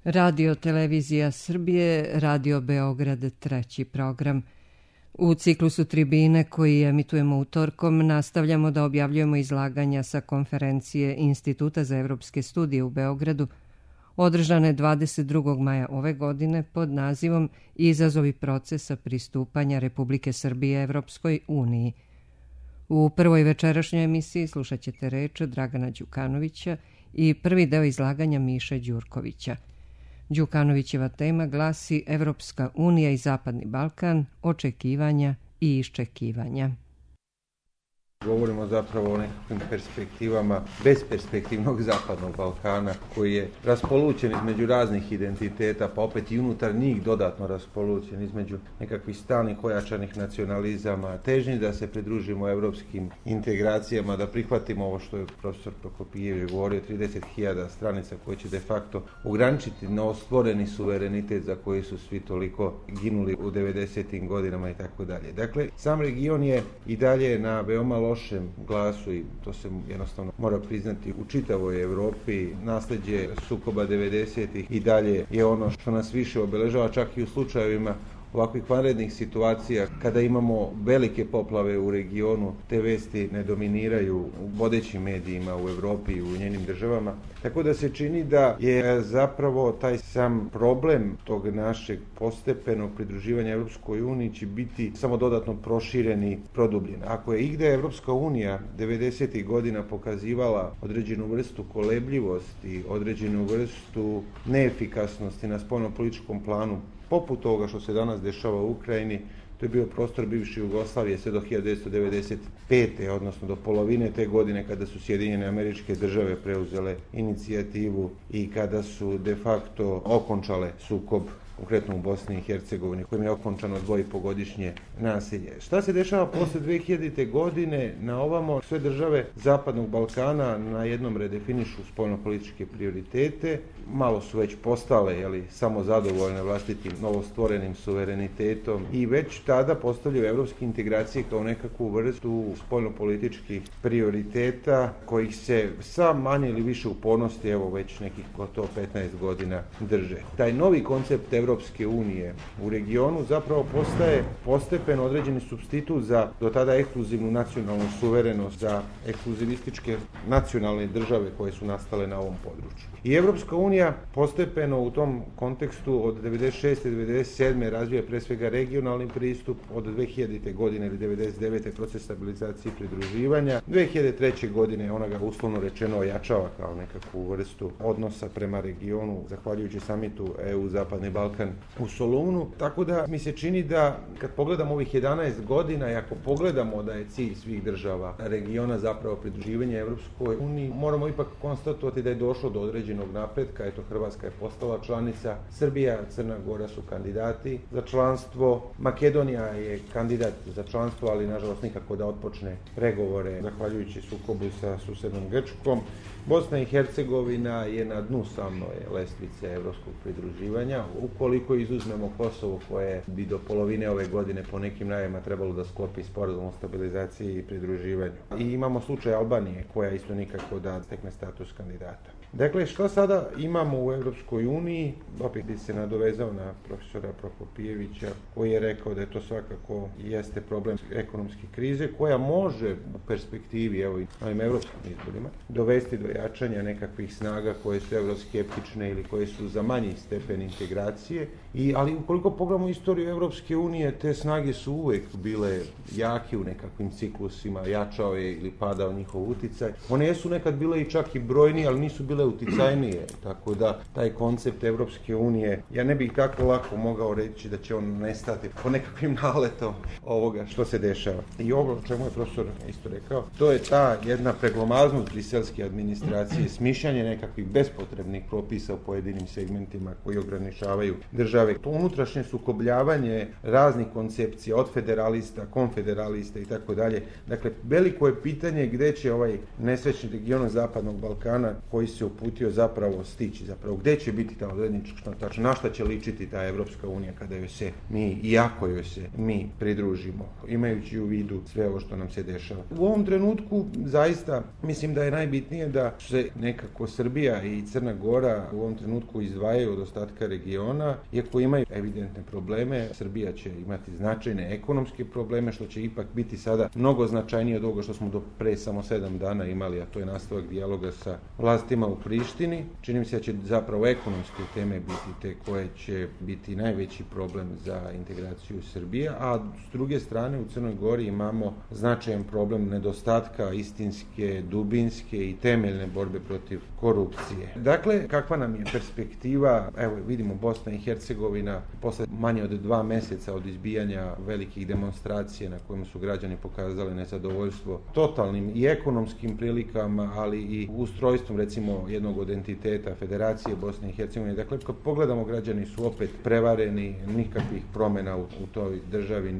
Radio Televizija Srbije, Radio Beograd, treći program. U ciklusu Tribine koji emitujemo utorkom nastavljamo da objavljujemo izlaganja sa konferencije Instituta za evropske studije u Beogradu, održane 22. maja ove godine pod nazivom Izazovi procesa pristupanja Republike Srbije Evropskoj uniji. U prvoj večerašnjoj emisiji slušat ćete reč Dragana Đukanovića i prvi deo izlaganja Miše Đurkovića. Đukanovićeva tema glasi Evropska unija i Zapadni Balkan, očekivanja i iščekivanja. Govorimo zapravo o nekakvim perspektivama besperspektivnog Zapadnog Balkana koji je raspolućen između raznih identiteta, pa opet i unutar njih dodatno raspolućen između nekakvih stalnih ojačanih nacionalizama, težnji da se pridružimo evropskim integracijama, da prihvatimo ovo što je profesor Prokopijević govorio, 30.000 stranica koje će de facto ograničiti novostvoreni suverenitet za koji su svi toliko ginuli u 90. godinama i tako dalje. Dakle, sam region je i dalje na veoma lošem glasu i to se jednostavno mora priznati u čitavoj Evropi. Nasleđe sukoba 90-ih i dalje je ono što nas više obeležava, čak i u slučajevima ovakvih vanrednih situacija, kada imamo velike poplave u regionu, te vesti ne dominiraju u vodećim medijima u Evropi i u njenim državama. Tako da se čini da je zapravo taj sam problem tog našeg postepenog pridruživanja Evropskoj uniji će biti samo dodatno proširen i produbljen. Ako je igde Evropska unija 90. godina pokazivala određenu vrstu kolebljivosti, određenu vrstu neefikasnosti na spoljnopolitičkom planu, poput toga što se danas dešava u Ukrajini, to je bio prostor bivše Jugoslavije sve do 1995. odnosno do polovine te godine kada su Sjedinjene Američke Države preuzele inicijativu i kada su de facto okončale sukob, konkretno u Bosni i Hercegovini, kojim je okončano 2,5-godišnje nasilje. Šta se dešava posle 2000. godine? Na ovamo sve države Zapadnog Balkana na jednom redefinišu spoljnopolitičke prioritete, malo su već postale samo zadovoljne vlastitim novostvorenim suverenitetom i već tada postavljaju evropske integracije kao nekakvu vrstu spoljnopolitičkih prioriteta kojih se sa manje ili više upornosti već nekih gotovo 15 godina drže. Taj novi koncept Evropske unije u regionu zapravo postaje postepeno određeni supstitut za do tada ekskluzivnu nacionalnu suverenost, za ekskluzivističke nacionalne države koje su nastale na ovom području. I Evropska unija postepeno u tom kontekstu od 96. do 97. razvija pre svega regionalni pristup, od 2000. godine ili 99. proces stabilizacije i pridruživanja. 2003. godine ona ga uslovno rečeno ojačava kao nekakvu vrstu odnosa prema regionu, zahvaljujući samitu EU Zapadni Balkan u Solunu. Tako da mi se čini da kad pogledamo ovih 11 godina i ako pogledamo da je cilj svih država regiona zapravo pridruživanje Evropskoj uniji, moramo ipak konstatovati da je došlo do određenog napretka. Eto, Hrvatska je postala članica, Srbija, Crna Gora su kandidati za članstvo, Makedonija je kandidat za članstvo, ali nažalost nikako da otpočne pregovore zahvaljujući sukobu sa susednom Grčkom. Bosna i Hercegovina je na dnu same lestvice evropskog pridruživanja. Ukoliko izuzmemo Kosovo koje bi do polovine ove godine po nekim najavama trebalo da sklopi sporazum o stabilizaciji i pridruživanju. I imamo slučaj Albanije koja isto nikako da stekne status kandidata. Dakle, što sada imamo u Evropskoj uniji? Opet bi se nadovezao na profesora Prokopijevića koji je rekao da je to svakako jeste problem ekonomske krize koja može u perspektivi, i ovim evropskim izborima, dovesti do jačanja nekakvih snaga koje su evroskeptične ili koje su za manji stepen integracije. Ali ukoliko pogledamo istoriju Evropske unije, te snage su uvek bile jake u nekakvim ciklusima, jačao je ili padao njihov uticaj. One jesu nekad bile i čak i brojnije, ali nisu bile uticajnije, tako da taj koncept Evropske unije, ja ne bih tako lako mogao reći da će on nestati po nekakvim naletom ovoga što se dešava. I ovo o čemu je profesor isto rekao, to je ta jedna preglomaznost briselske administracije, smišljanje nekakvih bespotrebnih propisa u pojedinim segmentima koji ograničavaju države. To unutrašnje sukobljavanje raznih koncepcija od federalista, konfederalista i tako dalje. Dakle, veliko je pitanje gde će ovaj nesrećni region Zapadnog Balkana koji se se uputio zapravo stići, zapravo gdje će biti ta odrednička tačka, na šta će ličiti ta Evropska unija kada joj se mi, i ako joj se mi pridružimo, imajući u vidu sve ovo što nam se dešava. U ovom trenutku zaista mislim da je najbitnije da se nekako Srbija i Crna Gora u ovom trenutku izdvajaju od ostatka regiona, iako imaju evidentne probleme. Srbija će imati značajne ekonomske probleme, što će ipak biti sada mnogo značajnije od ovoga što smo do pre samo 7 dana imali, a to je nastavak dijaloga sa vlastima u Prištini. Čini mi se da će zapravo ekonomske teme biti te koje će biti najveći problem za integraciju Srbije, a s druge strane u Crnoj Gori imamo značajan problem nedostatka istinske, dubinske i temeljne borbe protiv korupcije. Dakle, kakva nam je perspektiva? Evo, vidimo Bosna i Hercegovina posle manje od 2 meseca od izbijanja velikih demonstracija na kojima su građani pokazali nezadovoljstvo totalnim i ekonomskim prilikama, ali i ustrojstvom recimo jednog od entiteta Federacije Bosne i Hercegovine. Dakle, kad pogledamo, građani su opet prevareni, nikakvih promjena u toj državi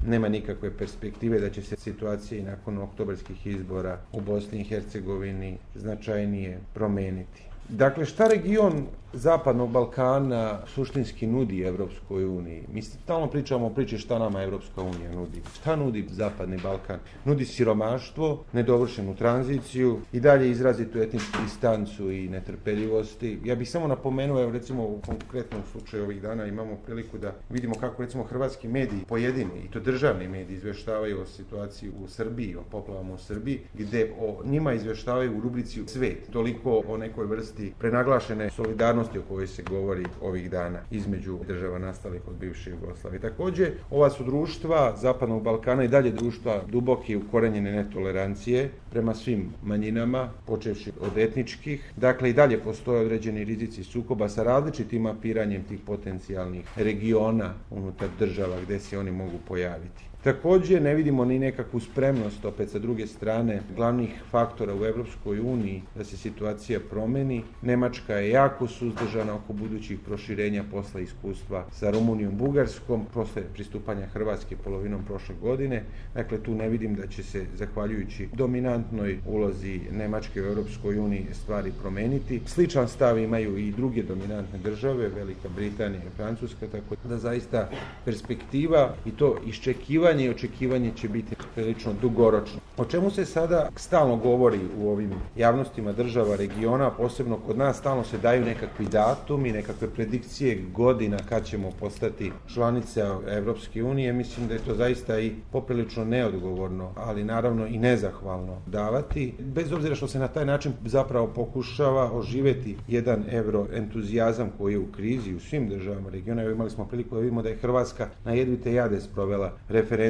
nema nikakve perspektive da će se situacija i nakon oktobarskih izbora u Bosni i Hercegovini značajnije promeniti. Dakle, šta region Zapadnog Balkana suštinski nudi Evropskoj uniji? Mi stalno pričamo o priči šta nama Evropska unija nudi. Šta nudi Zapadni Balkan? Nudi siromaštvo, nedovršenu tranziciju i dalje izrazitu etničku distancu i netrpeljivosti. Ja bih samo napomenuo, evo recimo u konkretnom slučaju ovih dana imamo priliku da vidimo kako recimo hrvatski mediji, pojedini i to državni mediji, izveštavaju o situaciji u Srbiji, o poplavama u Srbiji, gde o njima izveštavaju u rubrici Svet. Toliko o nekoj vrsti prenaglašene solidarnosti o kojoj se govori ovih dana između država nastalih od bivše Jugoslavije. Također, ova su društva Zapadnog Balkana i dalje društva duboke i ukorenjene netolerancije prema svim manjinama, počevši od etničkih. Dakle, i dalje postoje određeni rizici sukoba sa različitim mapiranjem tih potencijalnih regiona unutar država gdje se oni mogu pojaviti. Također ne vidimo ni nekakvu spremnost, opet sa druge strane, glavnih faktora u Evropskoj uniji da se situacija promeni. Nemačka je jako suzdržana oko budućih proširenja posle iskustva sa Rumunijom, Bugarskom, posle pristupanja Hrvatske polovinom prošle godine. Dakle, tu ne vidim da će se, zahvaljujući dominantnoj ulozi Nemačke u Evropskoj uniji, stvari promeniti. Sličan stav imaju i druge dominantne države, Velika Britanija i Francuska, tako da zaista perspektiva i to iščekivanje i očekivanje će biti prilično dugoročno. O čemu se sada stalno govori u ovim javnostima država regiona, posebno kod nas, stalno se daju nekakvi datumi, nekakve predikcije godina kad ćemo postati članica Evropske unije. Mislim da je to zaista i poprilično neodgovorno, ali naravno i nezahvalno davati, bez obzira što se na taj način zapravo pokušava oživjeti jedan euroentuzijazam koji je u krizi u svim državama regiona. Evo, imali smo priliku da vidimo da je Hrvatska na jedvite jade sprovela referendum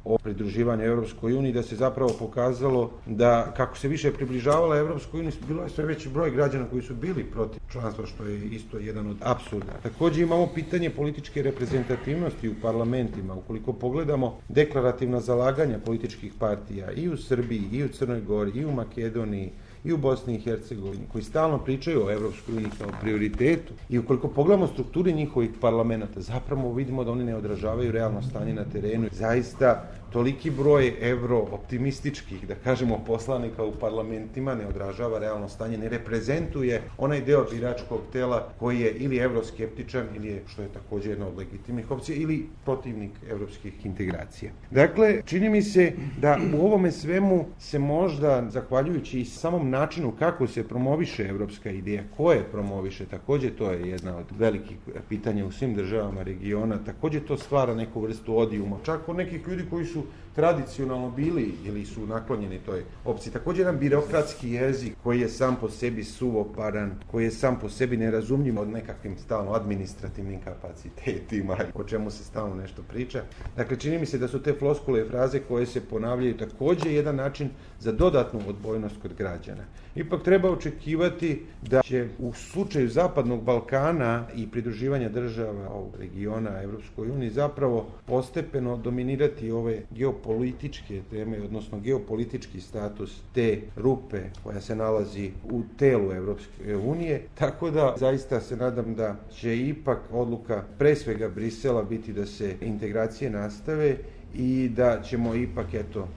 o pridruživanju Evropskoj uniji, da se zapravo pokazalo da kako se više približavala Evropskoj uniji, bilo je sve veći broj građana koji su bili protiv članstva, što je isto jedan od apsurda. Također imamo pitanje političke reprezentativnosti u parlamentima. Ukoliko pogledamo deklarativna zalaganja političkih partija i u Srbiji, i u Crnoj Gori, i u Makedoniji, i u Bosni i Hercegovini, koji stalno pričaju o Evropskoj uniji kao prioritetu, i ukoliko pogledamo strukturi njihovih parlamenta, zapravo vidimo da oni ne odražavaju realno stanje na terenu. Zaista toliki broj evrooptimističkih, da kažemo, poslanika u parlamentima ne odražava realno stanje, ne reprezentuje onaj deo biračkog tela koji je ili evroskeptičan, ili je, što je također jedna od legitimnih opcija, ili protivnik evropskih integracija. Dakle, čini mi se da u ovome svemu se možda, zahvaljujući i samom načinu kako se promoviše evropska ideja, ko je promoviše, također to je jedna od velikih pitanja u svim državama regiona, također to stvara neku vrstu odijuma, čak od nekih ljudi koji su tradicionalno bili ili su naklonjeni toj opciji. Također jedan birokratski jezik koji je sam po sebi suvoparan, koji je sam po sebi nerazumljiv od nekakvim stalno administrativnim kapacitetima, o čemu se stalno nešto priča. Dakle, čini mi se da su te floskule i fraze koje se ponavljaju također jedan način za dodatnu odbojnost kod građana. Ipak treba očekivati da će u slučaju Zapadnog Balkana i pridruživanja država ovog regiona Evropskoj uniji zapravo postepeno dominirati ove geopolitičke teme, odnosno geopolitički status te rupe koja se nalazi u telu Evropske unije, tako da zaista se nadam da će ipak odluka pre svega Brisela biti da se integracije nastave i da ćemo ipak,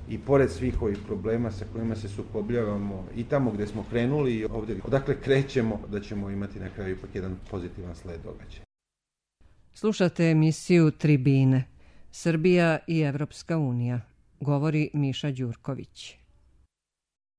i pored svih ovih problema sa kojima se sukobljavamo i tamo gdje smo krenuli i ovdje odakle krećemo, da ćemo imati na kraju ipak jedan pozitivan sled događaja. Slušate emisiju Tribine. Srbija i Evropska unija. Govori Miša Đurković.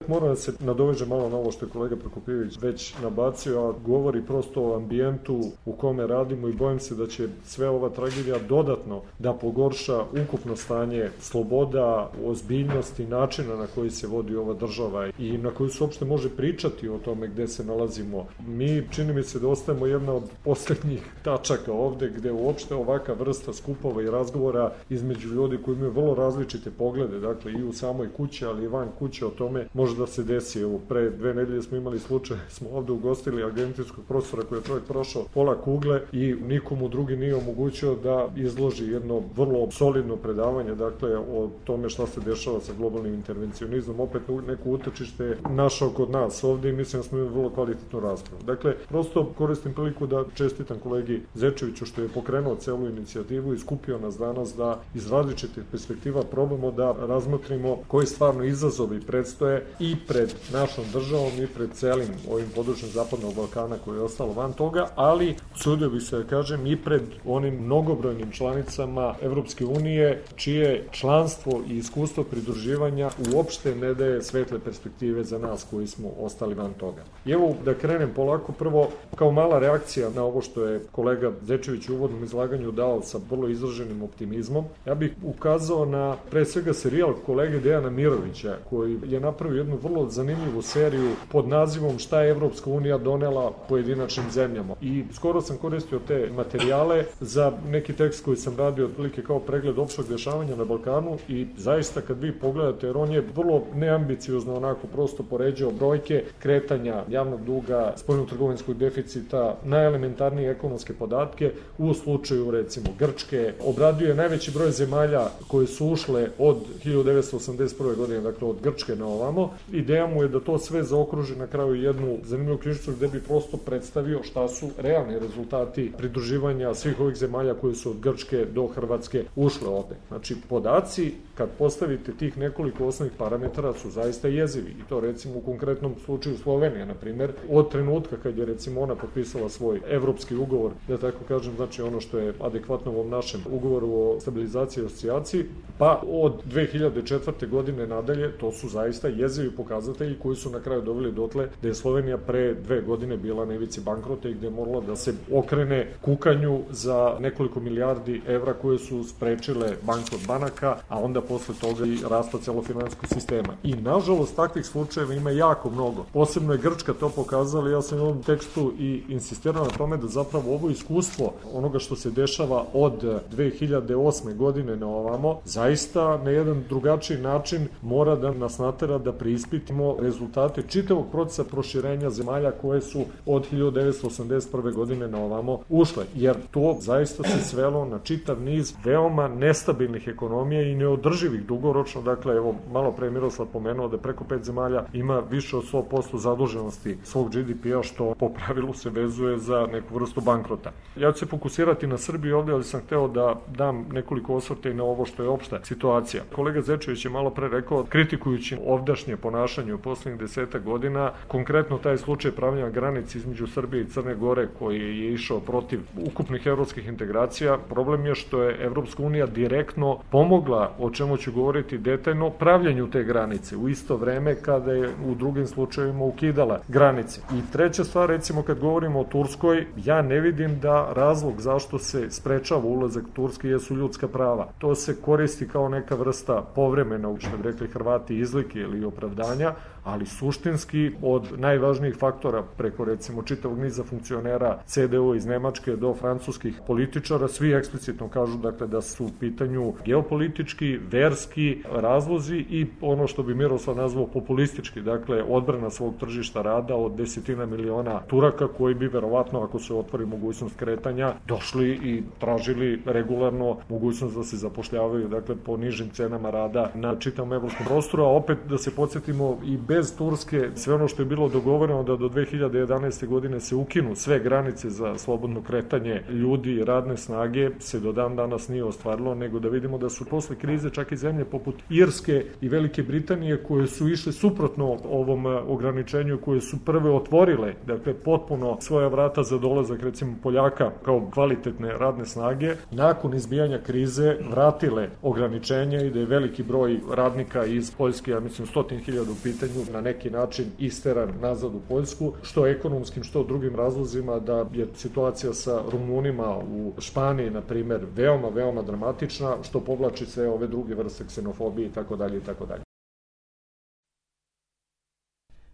Moram da se nadovežem malo na ovo što je kolega Prokopijević već nabacio, a govori prosto o ambijentu u kome radimo i bojim se da će sve ova tragedija dodatno da pogorša ukupno stanje sloboda, ozbiljnosti, načina na koji se vodi ova država i na koju se uopšte može pričati o tome gde se nalazimo. Mi, čini mi se da ostajemo jedna od poslednjih tačaka ovde gde uopšte ovaka vrsta skupova i razgovora između ljudi koji imaju vrlo različite poglede, dakle i u samoj kući, ali i van kuće o tome može da se desi. Evo, pre 2 nedelje smo imali slučaj, smo ovde ugostili argentinskog profesora koji je čovjek prošao pola kugle i nikomu drugi nije omogućio da izloži jedno vrlo solidno predavanje, dakle, o tome šta se dešava sa globalnim intervencionizmom. Opet neko utočište našao kod nas ovde i mislim da smo imali vrlo kvalitetnu raspravu. Dakle, prosto koristim priliku da čestitam kolegi Zečeviću što je pokrenuo celu inicijativu i skupio nas danas da iz različitih perspektiva probamo da razmotrimo koji stvarno izazovi predstoje i pred našom državom i pred celim ovim područjem Zapadnog Balkana koje je ostalo van toga, ali sudio bih se da kažem i pred onim mnogobrojnim članicama Evropske unije čije članstvo i iskustvo pridruživanja uopšte ne daje svetle perspektive za nas koji smo ostali van toga. I evo da krenem polako, prvo kao mala reakcija na ovo što je kolega Zečević u uvodnom izlaganju dao sa vrlo izraženim optimizmom. Ja bih ukazao na pre svega serijal kolege Dejana Mirovića koji je napravio jednu vrlo zanimljivu seriju pod nazivom Šta je Evropska unija donela pojedinačnim zemljama. I skoro sam koristio te materijale za neki tekst koji sam radio otprilike kao pregled opštog dešavanja na Balkanu i zaista kad vi pogledate, jer on je vrlo neambiciozno onako prosto poređao brojke kretanja javnog duga, spoljnotrgovinskog deficita, najelementarnije ekonomske podatke u slučaju recimo Grčke, obradio je najveći broj zemalja koje su ušle od 1981. godine, dakle od Grčke na ovamo. Ideja mu je da to sve zaokruži na kraju jednu zanimljivu knjižicu gde bi prosto predstavio šta su realni rezultati pridruživanja svih ovih zemalja koje su od Grčke do Hrvatske ušle ovde. Znači, podaci, kad postavite tih nekoliko osnovnih parametara, su zaista jezivi. I to recimo u konkretnom slučaju Slovenija, na primer, od trenutka kad je recimo ona potpisala svoj evropski ugovor, da tako kažem, znači ono što je adekvatno ovom našem ugovoru o stabilizaciji i asocijaciji, pa od 2004. godine nadalje, to su zaista jezivi pokazatelji koji su na kraju doveli dotle da je Slovenija pre 2 godine bila na ivici bankrota i gde je morala da se okrene kukanju za nekoliko milijardi evra koje su sprečile bankrot banaka, a onda posle toga i rasta celofinansijskog sistema. I nažalost takvih slučajeva ima jako mnogo. Posebno je Grčka to pokazala, ja sam u ovom tekstu i insistirao na tome da zapravo ovo iskustvo onoga što se dešava od 2008. godine na ovamo, zaista na jedan drugačiji način mora da nas natera da preispitimo rezultate čitavog procesa proširenja zemalja koje su od 1981. godine na ovamo ušle, jer to zaista se svelo na čitav niz veoma nestabilnih ekonomija i neodrživih dugoročno. Dakle, evo, malo pre Miroslav pomenuo da preko 5 zemalja ima više od 100% zaduženosti svog GDP-a, što po pravilu se vezuje za neku vrstu bankrota. Ja ću se fokusirati na Srbiju ovde, ali sam hteo da dam nekoliko osvrta i na ovo što je opšta situacija. Kolega Zečević je malo pre rekao, kritikujući ovdašnje ponašanje u poslednjih 10 godina, konkretno taj slučaj pravljanja granice između Srbije i Crne Gore koji je išao protiv ukupnih evropskih integracija. Problem je što je Evropska unija direktno pomogla, o čemu ću govoriti detaljno, pravljenju te granice u isto vreme kada je u drugim slučajevima ukidala granice. I treća stvar, recimo kad govorimo o Turskoj, ja ne vidim da razlog zašto se sprečava ulazak Turske jesu ljudska prava. To se koristi kao neka vrsta povremena, što bi rekli Hrvati, izlike ili opravdanja, ali suštinski od najvažnijih faktora preko recimo čitavog niza funkcionera CDU iz Nemačke do francuskih političara, svi eksplicitno kažu dakle da su u pitanju geopolitički, verski razlozi i ono što bi Miroslav nazvao populistički, dakle odbrana svog tržišta rada od 10 miliona Turaka koji bi verovatno, ako se otvori mogućnost kretanja, došli i tražili regularno mogućnost da se zapošljavaju dakle po nižim cenama rada na čitavom evropskom prostoru, a opet da se podsjetimo i bez Turske sve ono što je bilo dogovoreno da do 2011. godine se ukinu sve granice za slobodno kretanje ljudi i radne snage se do dan danas nije ostvarilo, nego da vidimo da su posle krize čak i zemlje poput Irske i Velike Britanije koje su išle suprotno ovom ograničenju, koje su prve otvorile, dakle potpuno svoja vrata za dolazak recimo Poljaka kao kvalitetne radne snage, nakon izbijanja krize vratile ograničenja i da je veliki broj radnika iz Poljske, ja mislim 100.000 u pitanju, na neki način isteran nazad u Poljsku, što ekonomskim, što drugim razlozima, da je situacija sa Rumunima u Španiji, na primer, veoma, veoma dramatična, što povlači sve ove druge vrste ksenofobije i tako dalje i tako dalje.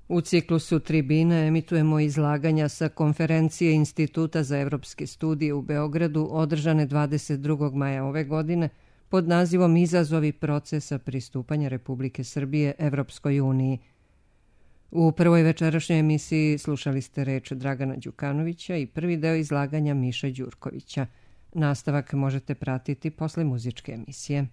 U ciklusu Tribine emitujemo izlaganja sa konferencije Instituta za evropske studije u Beogradu održane 22. maja ove godine pod nazivom Izazovi procesa pristupanja Republike Srbije Evropskoj uniji. U prvoj večerašnjoj emisiji slušali ste reč Dragana Đukanovića i prvi deo izlaganja Miše Đurkovića. Nastavak možete pratiti posle muzičke emisije.